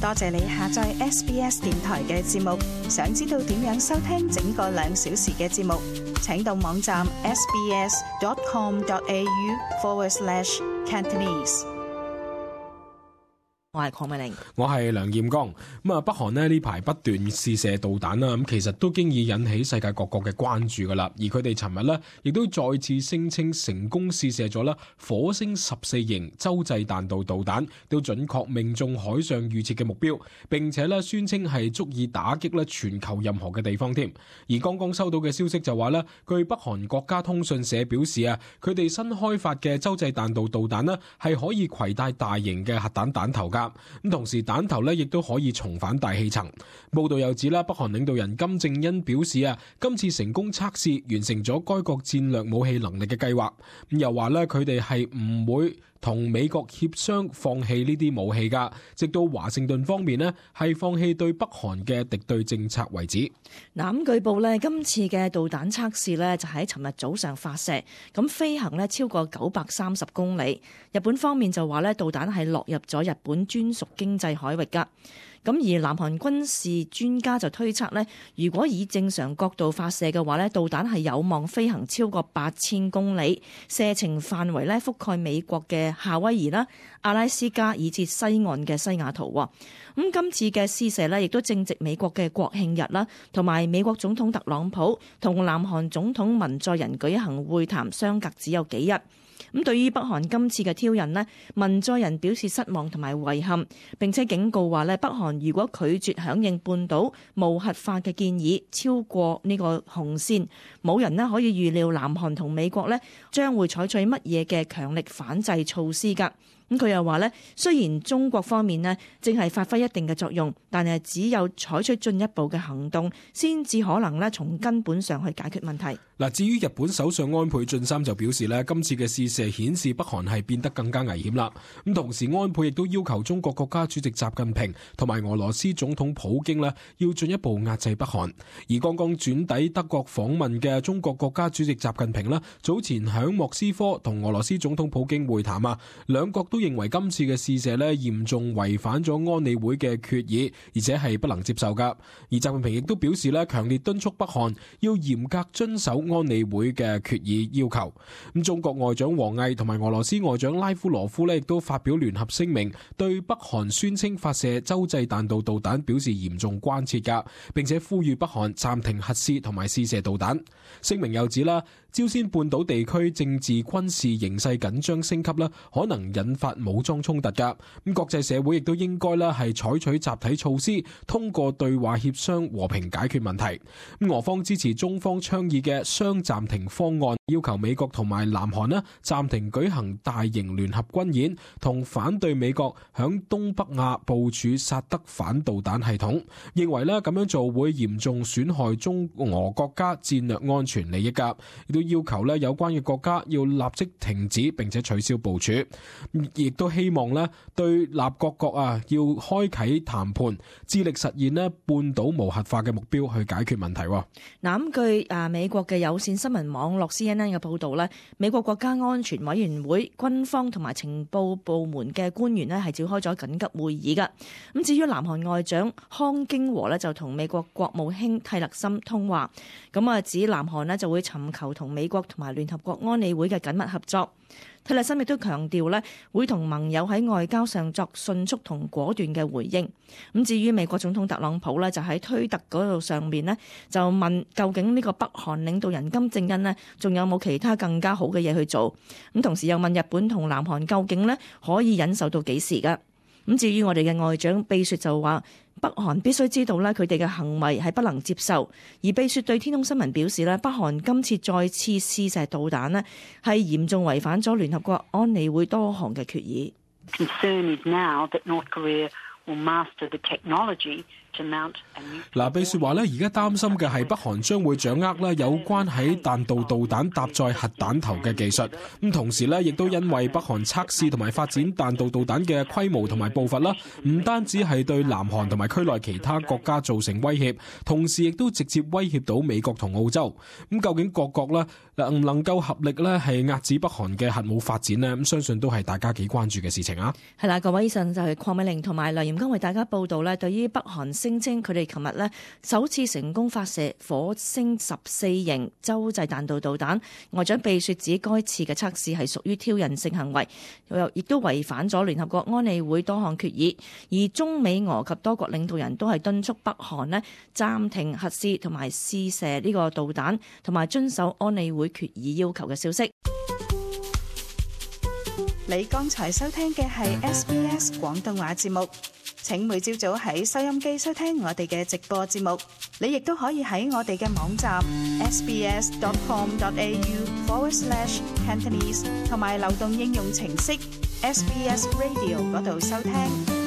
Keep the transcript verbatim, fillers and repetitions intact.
多謝你下載 S B S 電台嘅節目。想知道點樣收聽整個兩小時嘅節目，請到網站 sbs.com.au forward slash Cantonese。我係鄺美玲，我係梁劍剛。咁啊，北韓咧呢排不斷試射導彈啦，咁其實都經已引起世界各國嘅關注噶啦。而佢哋尋日咧，亦都再次聲稱成功試射咗啦火星十四型洲際彈道導彈，都準確命中海上預設嘅目標，並且咧宣稱係足以打擊咧全球任何嘅地方添。而剛剛收到嘅消息就話咧，據北韓國家通訊社表示啊，佢哋新開發嘅洲際彈道導彈咧係可以攜帶大型嘅核彈彈頭噶。咁同時彈頭咧亦都可以重返大氣層。報道又指啦，北韓領導人金正恩表示啊，今次成功測試完成咗該國戰略武器能力嘅計劃。咁又話咧，佢哋係唔會同美國協商放棄呢啲武器噶，直到華盛頓方面呢係放棄對北韓嘅敵對政策為止。嗱，咁據報呢，今次嘅導彈測試呢就喺尋日早上發射，咁飛行呢超過九百三十公里。日本方面就話呢，導彈係落入咗日本專屬經濟海域噶。咁而南韓軍事專家就推測呢，如果以正常角度發射嘅話呢，導彈係有望飛行超過八千公里，射程範圍呢覆蓋美國嘅夏威夷啦、阿拉斯加以至西岸嘅西雅圖。咁今次嘅試射呢，亦都正值美國嘅國慶日啦，同埋美國總統特朗普同南韓總統文在寅舉行會談，相隔只有幾日。咁對於北韓今次嘅挑釁呢，文在寅表示失望同埋遺憾，並且警告話呢，北韓如果拒絕響應半島無核化嘅建議，超過呢個紅線，冇人呢可以預料南韓同美國呢將會採取乜嘢嘅強力反制措施㗎。咁佢又話呢，雖然中國方面呢正係發揮一定嘅作用，但係只有採取進一步嘅行動，先至可能呢從根本上去解決問題。嗱，至於日本首相安倍晉三就表示呢，今次嘅試射顯示北韓係變得更加危險啦。咁同時安倍亦都要求中國國家主席習近平同埋俄羅斯總統普京呢要進一步壓制北韓。而剛剛轉抵德國訪問嘅中國國家主席習近平呢，早前響莫斯科同俄羅斯總統普京會談啊，兩國都認為今次嘅試射呢嚴重違反咗安理會嘅決議，而且係不能接受噶。而習近平亦都表示呢，強烈敦促北韓要嚴格遵守安理會嘅決議要求。咁中國外長王毅同埋俄羅斯外長拉夫羅夫呢亦都發表聯合聲明，對北韓宣稱發射洲際彈道導彈表示嚴重關切噶，並且呼籲北韓暫停核試同埋試射導彈。聲明又指啦，朝鮮半島地區政治軍事形勢緊張升級啦，可能引發武裝衝突噶。咁國際社會亦都應該啦係採取集體措施，通過對話協商和平解決問題。咁俄方支持中方倡議嘅雙暫停方案，要求美國同埋南韓啦暫停舉行大型聯合軍演，同反對美國響東北亞部署薩德反導彈系統，認為咧咁樣做會嚴重損害中俄國家戰略安全利益噶。亦都要求咧有關嘅國家要立即停止並且取消部署，亦都希望咧對立各國啊要開啟談判，致力實現咧半島無核化嘅目標去解決問題。嗱，咁據啊美國嘅有線新聞網絡 C N N 嘅報導咧，美國國家安全委員會軍方同埋情報部門嘅官員咧係召開咗緊急會議噶。咁至於南韓外長康京和咧就同美國國務卿蒂勒森通話，咁啊指南韓咧就會尋求同美國同埋聯合國安理會嘅緊密合作。蒂勒森亦都強調咧，會同盟友喺外交上作迅速同果斷嘅回應。咁至於美國總統特朗普咧，就喺推特嗰度上面咧，就問究竟呢個北韓領導人金正恩咧，仲有冇其他更加好嘅嘢去做？咁同時又問日本同南韓究竟咧可以忍受到幾時㗎？咁至於我哋嘅外長秘書就話，北韓必須知道咧，佢哋嘅行為係不能接受。而秘書對天空新聞表示咧，北韓今次再次試射導彈咧，係嚴重違反咗聯合國安理會多項嘅決議。Concern is now that North Korea will master the technology to mount a nuclear。嗱，秘書話咧，而家擔心嘅係北韓將會掌握咧有關喺彈道導彈搭載核彈頭嘅技術。咁同時咧，亦都因為北韓測試同埋發展彈道導彈嘅規模同埋步伐啦，唔單止係對南韓同埋區內其他國家造成威脅，同時亦都直接威脅到美國同澳洲。咁究竟各國咧能唔能夠合力咧係壓止北韓嘅核武發展呢？咁相信都係大家幾關注嘅事情啊。係啦，各位，以上就係鄺美玲同埋梁艷廉剛為大家報道咧，對於北韓聲稱佢哋琴日咧首次成功發射火星十四型洲際彈道導彈，外長貝雪指該次嘅測試係屬於挑釁性行為，又亦都違反咗聯合國安理會多項決議。而中美俄及多國領導人都係敦促北韓咧暫停核試同埋試射呢個導彈，同埋遵守安理會決議要求嘅消息。你剛才收聽嘅係 S B S 廣東話節目，請每朝早喺收音機收聽我哋嘅直播節目。你亦都可以喺我哋嘅網站 sbs.com.au forward slash Cantonese 同埋流動應用程式 S B S Radio 嗰度收聽。